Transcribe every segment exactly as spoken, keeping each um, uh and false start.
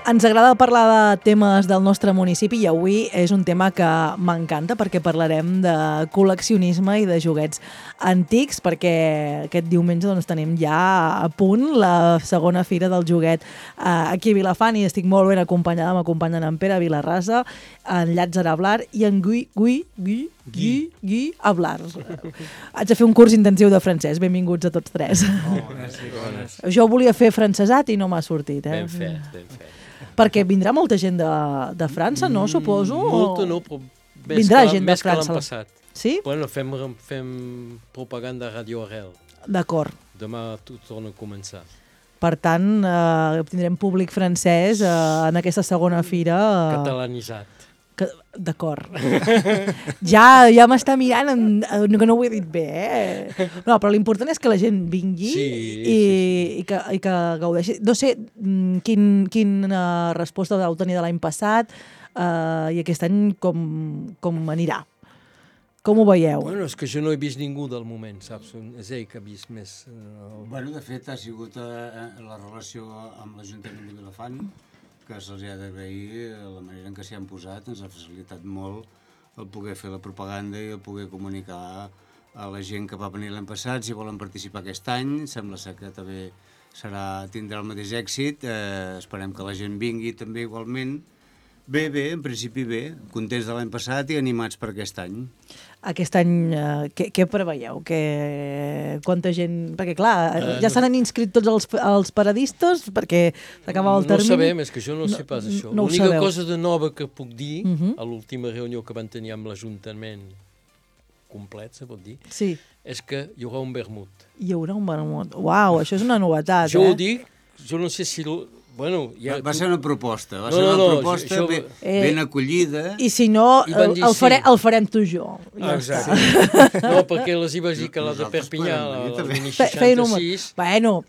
Ens agrada parlar de temes del nostre municipi i avui és un tema que m'encanta perquè parlarem de col·leccionisme i de joguets antics, perquè aquest diumenge doncs, tenim ja a punt la segona fira del joguet eh, aquí a Vilafant i estic molt ben acompanyada, m'acompanyen en Pere Vilarrasa, en Llàtzer Ablar i en Gui, Gui, Gui, Gui, Gui Ablar. Haig de fer un curs intensiu de francès, benvinguts a tots tres. Oh, gràcies, bones. Jo volia fer francesat i no m'ha sortit. Eh? Ben fet, ben fet. Perquè vindrà molta gent de, de França, no, suposo? Molta no, però més Vindrà que, gent de més que França. l'any passat. Sí? Bueno, fem, fem propaganda a Radio Arrel. D'acord. Demà tot torna a començar. Per tant, eh, tindrem públic francès eh, en aquesta segona fira. Eh, Catalanitzat. que, D'acord. ja ja m'està mirant en, en, que no ho he dit bé, eh? No, però l'important és que la gent vingui Sí, i, sí, sí. i, que, i que gaudeixi. No sé mm, quin, quina resposta vau tenir de l'any passat eh, i aquest any com, com anirà. Com ho veieu? Bueno, és que jo no he vist ningú del moment, saps? És ell que ha vist més... Uh, Bueno, de fet, ha sigut eh, la relació amb l'Ajuntament de Vilafant, que se'ls ha d'agrair la manera en què s'hi han posat, ens ha facilitat molt el poder fer la propaganda i el poder comunicar a la gent que va venir l'any passat si volen participar aquest any. Sembla ser que també serà, tindrà el mateix èxit, eh, esperem que la gent vingui també igualment. Bé, bé, en principi bé, contents de l'any passat i animats per aquest any. Aquest any, eh, què, què preveieu? Que, quanta gent... Perquè, clar, uh, ja no. s'han inscrit tots els, els paradistes perquè s'acabava el no termini. No sabem, és que jo no, no sé pas això. No L'única sabeu. cosa de nova que puc dir, Uh -huh. a l'última reunió que van tenir amb l'Ajuntament complet, se pot dir, Sí, és que hi haurà un vermut. hi haurà un vermut. Uau, això és una novetat, Jo eh? ho dic, jo no sé si... Lo, bueno, ja, Va ser una proposta, va No, ser no, una no, proposta això- ben, Eh, ben acollida. I si no, I van el, dir el, fare, sí. el farem tu i jo. Ja Exacte. està. No, perquè les hi vaig dir que la de Nosaltres Perpinyà, podem la, venir la també. Mini Fe- feien un- seixanta-sis... Bueno,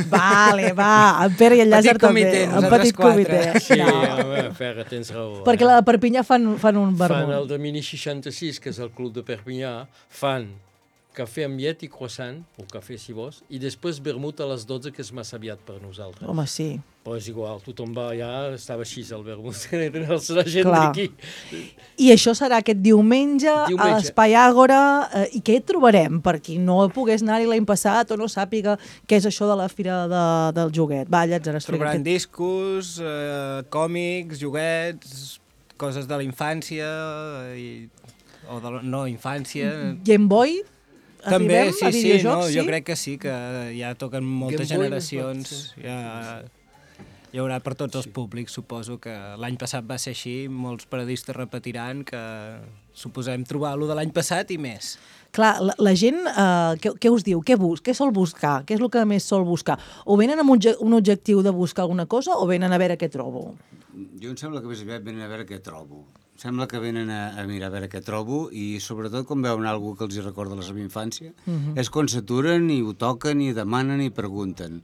vale, va, en Pere i en Petit Llàcer també. comitè, Un nosaltres petit quatre. comitè. Sí, No. home, Ferra, tens raó. Perquè eh? la de Perpinyà fan, fan un Fan el vermut. de Mini seixanta-sis, que és el club de Perpinyà, fan cafè amb llet i croissant, o cafè si vols, i després vermut a les dotze, que és massa aviat per nosaltres. Home, sí. Però és igual, tothom va allà, estava així el vermut, la gent Clar. d'aquí. I això serà aquest diumenge, Diumenge. a l'Espai Àgora. Eh, I què hi trobarem? Per qui no pogués anar-hi l'any passat o no sàpiga què és això de la Fira de, del Joguet. Va, Llàtzer, explica. Trobaran Què... discos, eh, còmics, joguets, coses de la infància i, o de la no infància. Game Boy? També, Arribem sí, a sí, videojocs, no, sí? jo crec que sí, que ja toquen moltes Game Boy, generacions. Ja, hi haurà per tots els públics, suposo que l'any passat va ser així, molts paradistes repetiran que suposem trobar-lo de l'any passat i més. Clar, la, la gent, eh, què, què us diu? Què, bus què sol buscar? Què és el que més sol buscar? O venen amb un, un objectiu de buscar alguna cosa o venen a veure què trobo? Jo em sembla que més aviat venen a veure què trobo. Em sembla que venen a, a mirar a veure què trobo i sobretot quan veuen alguna que els hi recorda la seva infància, uh -huh. és quan s'aturen i ho toquen i demanen i pregunten.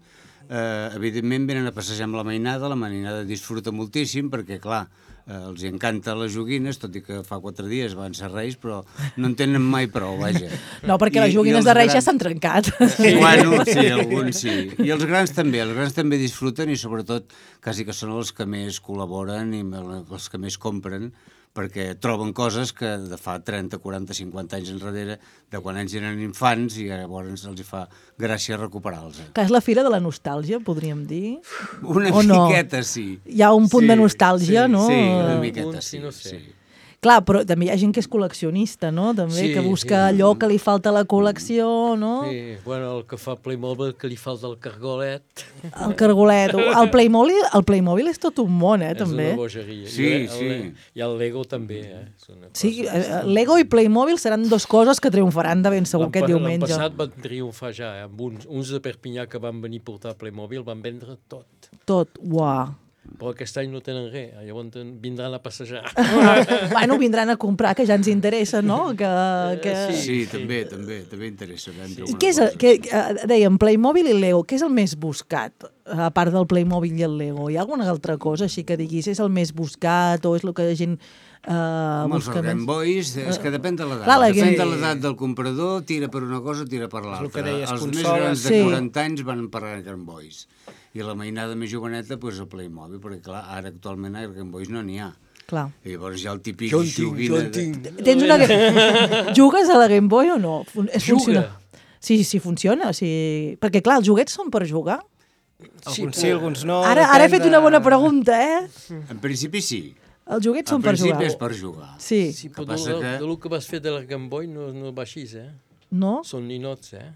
Uh, evidentment venen a passejar amb la mainada, la mainada disfruta moltíssim perquè, clar, uh, els encanta les joguines, tot i que fa quatre dies van ser reis, però no en tenen mai prou, vaja. No, perquè I- les i joguines els de Reis ja grans- s'han trencat. Sí. Bueno, sí, alguns sí. I els grans també, els grans també disfruten i sobretot quasi que són els que més col·laboren i els que més compren perquè troben coses que de fa trenta, quaranta, cinquanta anys enrere, de quan ells eren infants i llavors els hi fa gràcia recuperar-los. Que és la Fira de la Nostàlgia, podríem dir. Una O no? miqueta, sí. Hi ha un punt Sí, de nostàlgia, sí, no? Sí, una Un miqueta, punt, sí. sí, no sé. sí. Clar, però també hi ha gent que és col·leccionista, no? També, Sí, que busca sí. allò que li falta a la col·lecció, no? Sí, bueno, el que fa Playmobil, que li falta el cargolet, El cargolet. El Playmobil, el Playmobil és tot un món, eh, és també. una bogeria. Sí, I el, sí. el, I el Lego també, eh? És una Sí, cosa- eh, Lego i Playmobil seran dues coses que triomfaran de ben segur L'any aquest pa- diumenge. L'any passat van triomfar ja, eh? Amb uns, uns de Perpinyà que van venir a portar Playmobil van vendre tot. Tot, uau. Però aquest any no tenen res, eh? Llavors ten- vindran a passejar. Bueno, vindran a comprar, que ja ens interessa, no? Que, que... Eh, Sí, Sí, també, també, també interessa vendre I alguna què és, cosa. que, eh, dèiem, Playmobil i Lego, què és el més buscat? A part del Playmobil i el Lego, hi ha alguna altra cosa així que diguis és el més buscat o és el que la gent eh, Amb els busca Game més? Boys, és que depèn de l'edat. Clar, la Depèn Game- de l'edat del comprador, tira per una cosa, tira per el l'altra. que deies, Els més consoles. grans de Sí. quaranta anys van per Game Boys. I la mainada més joveneta, doncs el Playmobil, perquè clar, ara actualment a Game Boys no n'hi ha. Clar. I llavors hi ha el típic Jo en tinc, joguina... jo en tinc. Tens una... Jugues a la Game Boy o no? Fun- Es Juga. funciona? Sí, sí, funciona. O sigui... Perquè, clar, els joguets són per jugar. Alguns sí, alguns no. Ara, ara he depèn fet de- una bona pregunta, eh? En principi sí. Els joguets En són per principi jugar. és per jugar. Sí. Sí, Que però passa de, que- de lo que vas fer de la Game Boy no, no va així, eh? No? Són ninots, eh?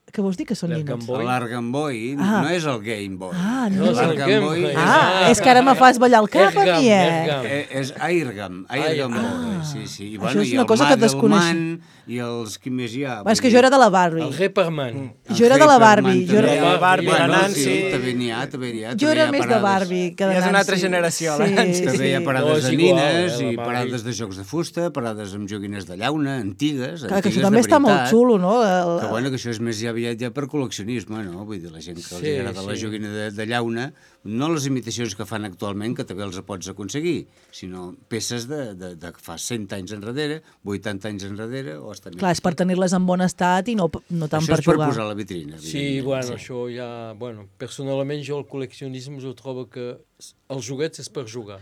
Què vols dir que són La ninots? Game Boy. L'Argam Boy Ah. no és el Game Boy. Ah, no. No és el L'Argam Game Boy Boy. és, Ah, és que ara me fas ballar el cap a Ergam, mi, eh? Ergam. eh, és Airgam. Airgam Ah. Boy, sí, sí. I, Això bueno, és i una el cosa que Madelman desconeixia. I els... Qui més hi ha? Va, és que jo era de la Barbie. El Repairman. Jo era de la Barbie. Jo era, La Barbie, la bueno, Nancy. Sí, també n'hi ha, també n'hi ha. jo també era hi ha més de parades. Barbie que de Ja és una Nancy. altra generació, la sí, Nancy. També hi ha sí. parades No, és de igual, nines eh, la i Barbie. parades de jocs de fusta, parades amb joguines de llauna, antigues, Clar, que antigues això també de està molt veritat. xulo, no? El... Que bueno, que això és més ja aviat ja per col·leccionisme, no? Vull dir, la gent que els Sí, agrada la sí. joguina de, de llauna, no les imitacions que fan actualment, que també els pots aconseguir, sinó peces de, de, de fa cent anys enrere, vuitanta anys enrere, o hasta Clar, és per tenir-les en bon estat i no, no tant Això per és per jugar. posar a la vitrina. Sí, evidentment. bueno, això ja... Bueno, personalment jo el col·leccionisme jo trobo que els joguets és per jugar.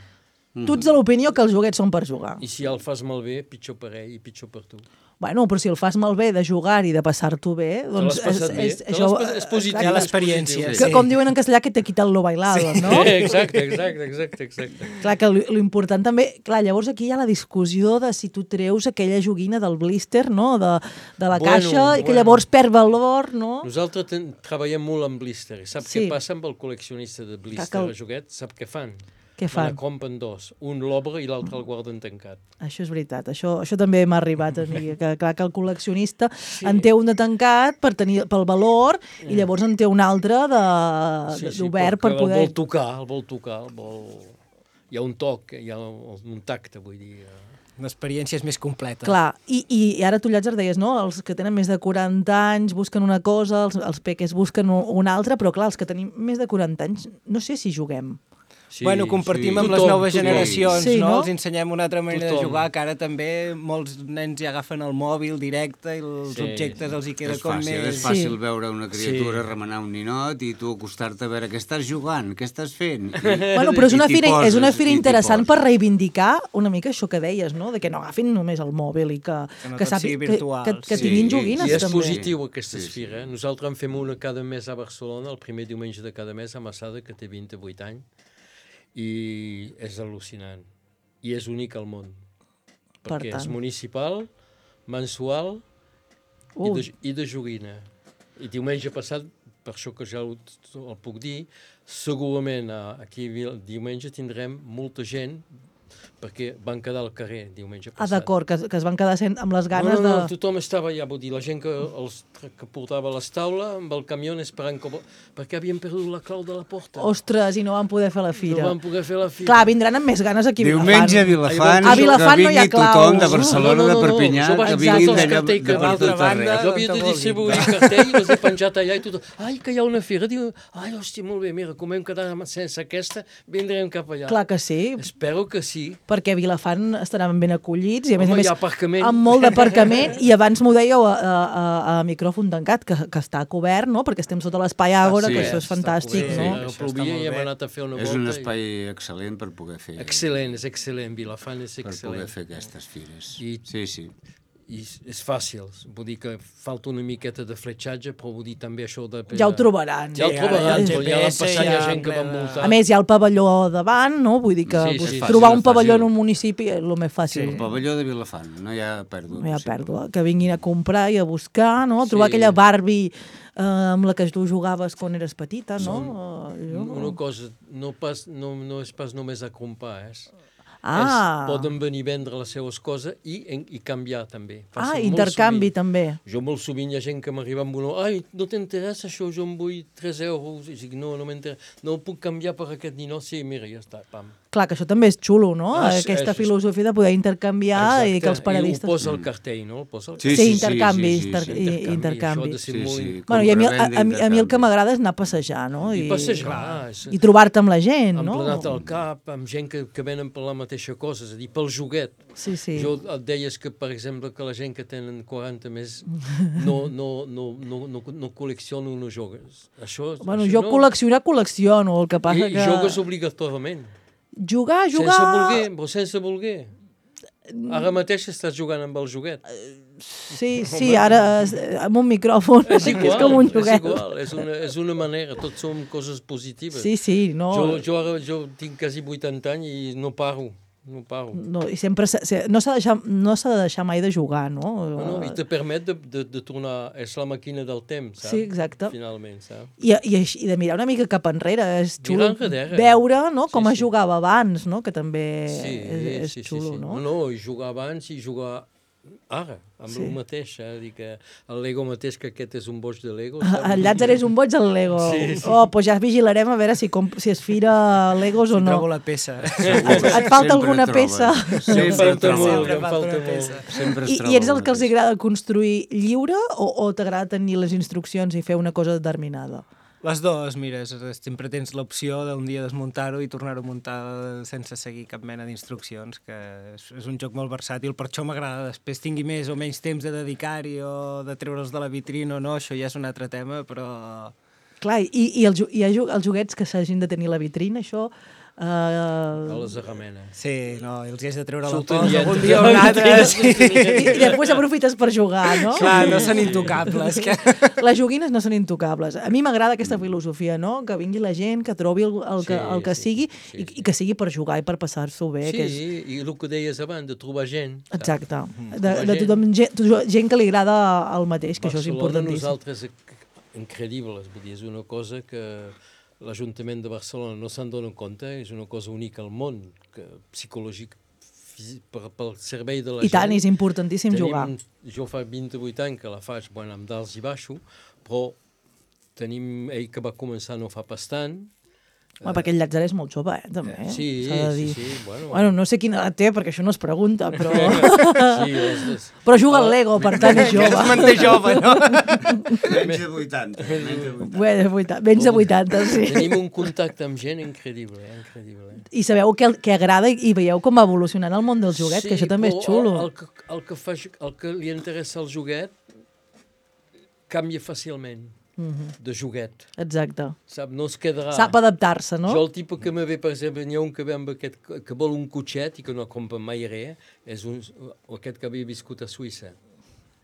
Tu ets de l'opinió que els joguets són per jugar. I si el fas malbé, pitjor per ell i pitjor per tu. Bueno, però si el fas malbé de jugar i de passar-t'ho bé, Te doncs... l'has passat bé? Te l'has passat- és positiu. Hi ha és l'experiència, positiu. Que, com diuen en castellà, que te quita lo bailado, no? Exacte, exacte, exacte, exacte. Clar, que l'important també... Clar, llavors aquí hi ha la discussió de si tu treus aquella joguina del blister, no?, de, de la Bueno, caixa, i que bueno. llavors perd valor, no? Nosaltres ten, treballem molt amb blister. I sap Sí. què passa amb el col·leccionista de blister Que el- a joguet? Sap què fan? Què Me fan? la compren dos. Un l'obre i l'altre el guarden tancat. Això és veritat, això, això també m'ha arribat a mi, que clar que el col·leccionista sí. en té un de tancat per tenir, pel valor i llavors en té un altre de- de- d'obert per perquè poder... El vol tocar, el vol tocar, el vol... Hi ha un toc, hi ha un tacte, vull dir... eh. L'experiència és més completa. Clar, i, i, i ara tu, Llàtzer, deies, no? Els que tenen més de quaranta anys busquen una cosa, els, els peques busquen un- una altra, però clar, els que tenim més de quaranta anys, no sé si juguem. Sí, Bueno, compartim sí. amb les Tothom, noves tothom. generacions, Sí, no? no? Els ensenyem una altra manera Tothom. de jugar, que ara també molts nens ja agafen el mòbil directe i els Sí, objectes els hi queda És com fàcil, més... és fàcil Sí. veure una criatura Sí. remenar un ninot i tu acostar-te a veure què estàs jugant, què estàs fent. I, Bueno, però és una i t'hi fira, és una poses, fira i t'hi interessant per poses. reivindicar una mica això que deies, no? De que no agafin només el mòbil i que, Que no que, tot sàpi- sigui que, virtual, que, que sí. tinguin Sí, joguines, I és també. positiu aquesta Sí, sí. fira. Eh? Nosaltres en fem una cada mes a Barcelona, el primer diumenge de cada mes, a Massada, que té vint-i-vuit anys, i és al·lucinant. I és únic al món. Per Perquè tant. és municipal, mensual i Ui. de, i de joguina. I diumenge passat, per això que ja ho, el puc dir, segurament eh, aquí el diumenge tindrem molta gent perquè van quedar al carrer diumenge Ah, passat. d'acord, que, que es van quedar sent amb les No, ganes no, no, de... tothom estava allà, vull dir, la gent que, els, que portava les taules amb el camió esperant que... perquè havien perdut la clau de la porta. Ostres, i no van poder fer la fira. No van poder fer la fira. Clar, vindran amb més ganes aquí a Diumenge a Vilafant. Vilafant, A Vilafant no hi ha que vingui tothom de claus. Barcelona, No, no, no, de no, Perpinyà, jo vaig que posar vinguin els d'allà cartells de que per l'altra tot banda- arreu. Jo havia de distribuir cartell, els he penjat allà i tothom, ai, que hi ha una fira. Diu, ai, hòstia, molt bé, mira, com hem quedat sense aquesta, vindrem cap allà. Clar que sí, Espero que sí. perquè a Vilafant estaran ben acollits i a més Home, a més hi ha aparcament. amb molt d'aparcament i abans m'ho dèieu a, a, a, a micròfon tancat, que, que està cobert, no? Perquè estem sota l'espai Àgora, sí, que això és està fantàstic, cobert, no? Ara Això està plovia molt i hem bé. anat a fer una És volta. un i- espai excel·lent per poder fer, Excel·lent, és excel·lent, Vilafant és per poder excel·lent. fer aquestes fires. I- Sí, sí. I és- és fàcil, vull dir que falta una miqueta de fletxatge, però vull dir també això de... Ja ho trobaran. Ja ho Sí, trobaran, ara el però ja l'han G P S passat, hi ha ja gent que va plena- multar. A més, hi ha el pavelló davant, no? Vull dir que Sí, sí, pues, sí, trobar fàcil, un pavelló fàcil. en un municipi és el més fàcil. El pavelló de Vilafant, no hi ha pèrdua. No hi ha possible. pèrdua. Que vinguin a comprar i a buscar, no? Trobar Sí. aquella Barbie eh, amb la que tu jugaves quan eres petita, no? Eh, jo- Una cosa, no, pas, no, no és pas només a comprar, és, Ah, és, poden venir a vendre les seves coses i, en- i canviar també. Passa ah molt intercanvi sovint. també. Jo molt sovint hi ha gent que m'arriba amb una... Ai, no t'interessa això, jo em vull tres euros. I dic, no, no m'interessa. No ho puc canviar per aquest ninot? Sí, mira, ja està, pam. Clar, que això també és xulo, no? Ah, és- Aquesta és- filosofia de poder intercanviar i que els I ho paradistes... posa al cartell, no? El posa al Sí, Sí, sí, sí, intercanvis, sí, sí, inter- sí. i- Això ha intercanvis. de ser Sí, molt... sí. Bueno, i a mi, a, Compra-venda, a, mi- a mi el que intercanvi. m'agrada és anar a passejar, no? I passejar, és- I trobar-te amb la gent, no? emplenat al cap, amb gent que, que venen per la mateixa cosa, és a dir, pel joguet. Sí, sí. Jo et deies que, per exemple, que la gent que tenen quaranta més no, no, no, no, no, no col·lecciona o no jogues. Això, Bueno, això jo no. col·leccionar, col·lecciono, el que passa I, que... I jogues obligatorament. Jugar, jugar... Sense voler, però sense voler. Ara mateix estàs jugant amb el joguet. Sí, sí, ara eh, amb un micròfon, És que igual, és com un és joguet. igual, és una, és una manera, tots som coses positives. Sí, sí, no... Jo, jo ara jo tinc quasi vuitanta anys i no paro, no paro. No, i sempre s'ha- s'ha- no s'ha de, deixar, no s'ha de deixar mai de jugar, no? No, no, I te permet de, de, de tornar, és la màquina del temps, saps? Sí, exacte. Finalment, saps? I, i, així- I de mirar una mica cap enrere, és xulo Mirar enrere. veure no, com Sí, es sí. jugava abans, no? Que també Sí, és, és sí, xulo, sí, sí. no? No, no, i jugar abans i jugar ara, amb Sí. el mateix, eh? Dir que el Lego mateix, que aquest és un boig de Lego. El Llàtzer és un boig al Lego. Sí, sí. Oh, doncs ja vigilarem a veure si, comp si es fira Legos o Si no. trobo la peça. Et, et falta Sempre alguna troba. peça? Sí, em falta troba. molt, Sempre em falta falta una molt. peça. Sempre es I, troba I ets el alguna que els peça. agrada construir lliure o, o t'agrada tenir les instruccions i fer una cosa determinada? Les dues, mira, és- sempre tens l'opció d'un dia desmuntar-ho i tornar-ho a muntar sense seguir cap mena d'instruccions, que és, és un joc molt versàtil, per això m'agrada. Després tingui més o menys temps de dedicar-hi o de treure'ls de la vitrina o no, això ja és un altre tema, però... Clar, i, i els, jo- hi ha jo- els joguets que s'hagin de tenir a la vitrina, això... A Eh, les arramenes. Sí, no, i els hi has de treure la Surten pols lletres. algun dia o un altre. Sí. i, I després aprofites per jugar, no? Clar, no són intocables. Que... Les joguines no són intocables. A mi m'agrada aquesta filosofia, no? Que vingui la gent, que trobi el, el, que, Sí, el que sí, sigui sí, i, sí. i que sigui per jugar i per passar-s'ho bé. Sí, Que és... i el que deies abans, de trobar gent. saps? Exacte. Mm. De, de tothom, gent, gent que li agrada el mateix, que això és Barcelona, importantíssim. nosaltres, eh, increïbles, vull dir, és una cosa que l'Ajuntament de Barcelona no se'n dona compte, és una cosa única al món, que psicològic, físic, per, pel servei de la I gent. tant, és importantíssim Tenim, jugar. Jo fa vint-i-vuit anys que la faig, bueno, amb dals i baixos, però tenim ell que va començar no fa pas tant. Home, perquè el Llàtzer és molt jove, eh, també. Eh? Sí, S'ha de dir. sí, sí, bueno. Bueno, no sé quina edat té, perquè això no es pregunta, però... Sí, les, les... però juga al Lego, per tant és Que es jove. manté jove, no? Menys de vuitanta. Menys de vuitanta. Bé, de vuitanta, menys de vuitanta, sí. Tenim un contacte amb gent increïble, eh? increïble. Eh? I sabeu què, què agrada i veieu com va evolucionant el món del joguet, que això també és però xulo. El, el, que, el, que fa, el que li interessa al joguet canvia fàcilment Mhm. de joguet. Exacte. Sap? No es quedarà... Sap adaptar-se, no? Jo el tipus que me ve, per exemple, n'hi ha un que ve amb aquest, que vol un cotxet i que no compra mai res, és un, aquest que havia viscut a Suïssa.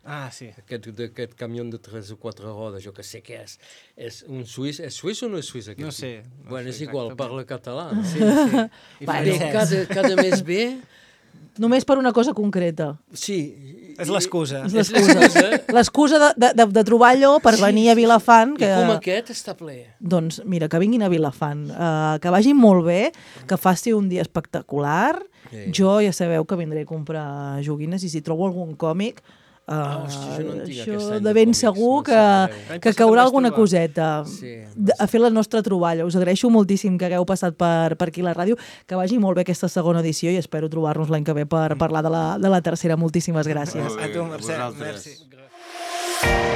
Ah, sí. Aquest, aquest camió de tres o quatre rodes, jo que sé què és. És un suís, és suís o no és suís aquest? No sé, no bueno, sé és igual, exactament. parla català, no? Sí, sí. I Va, Però francès. cada, cada mes ve... Només per una cosa concreta. Sí. És l'excusa. És l'excusa. L'excusa de, de, de, de trobar allò per venir a Vilafant. Que, I com aquest està ple. doncs mira, que vinguin a Vilafant, uh, que vagin molt bé, que faci un dia espectacular. Sí. Jo ja sabeu que vindré a comprar joguines i si trobo algun còmic, uh, Ah, hòstia, jo no en tinc això aquest any de de ben còmics, segur no que, sabeu. L'any que passat caurà em vas alguna trobar. coseta Sí. de- a fer la nostra troballa. Us agraeixo moltíssim que hagueu passat per, per aquí a la ràdio, que vagi molt bé aquesta segona edició i espero trobar-nos l'any que ve per parlar de la, de la tercera. Moltíssimes gràcies. Molt bé, A tu, Mercè. vosaltres. Merci.